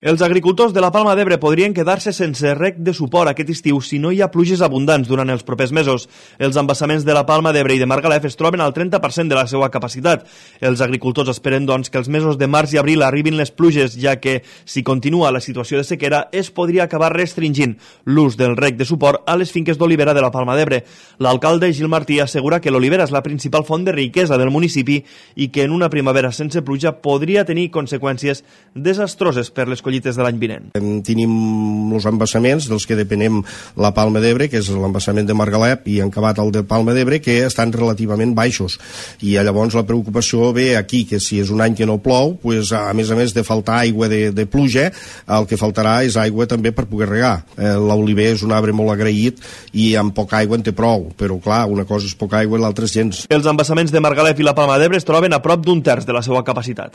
Els agricultors de la Palma d'Ebre podrien quedar-se sense reg de suport aquest estiu si no hi ha pluges abundants durant els propers mesos. Els embassaments de la Palma d'Ebre i de Margalef es troben al 30% de la seva capacitat. Els agricultors esperen, doncs, que els mesos de març i abril arribin les pluges, ja que, si continua la situació de sequera, es podria acabar restringint l'ús del reg de suport a les finques d'olivera de la Palma d'Ebre. L'alcalde Gil Martí assegura que l'olivera és la principal font de riquesa del municipi i que en una primavera sense pluja podria tenir conseqüències desastroses per les collites de l'any vinent. Tenim els embassaments dels que depenem la Palma d'Ebre, que és l'embassament de Margalef i encabat el de Palma d'Ebre, que estan relativament baixos. I llavors la preocupació ve aquí, que si és un any que no plou, pues, a més de faltar aigua de pluja, el que faltarà és aigua també per poder regar. L'oliver és un arbre molt agraït i amb poca aigua en té prou, però clar, una cosa és poca aigua i l'altra és gens. Els embassaments de Margalef i la Palma d'Ebre es troben a prop d'un terç de la seva capacitat.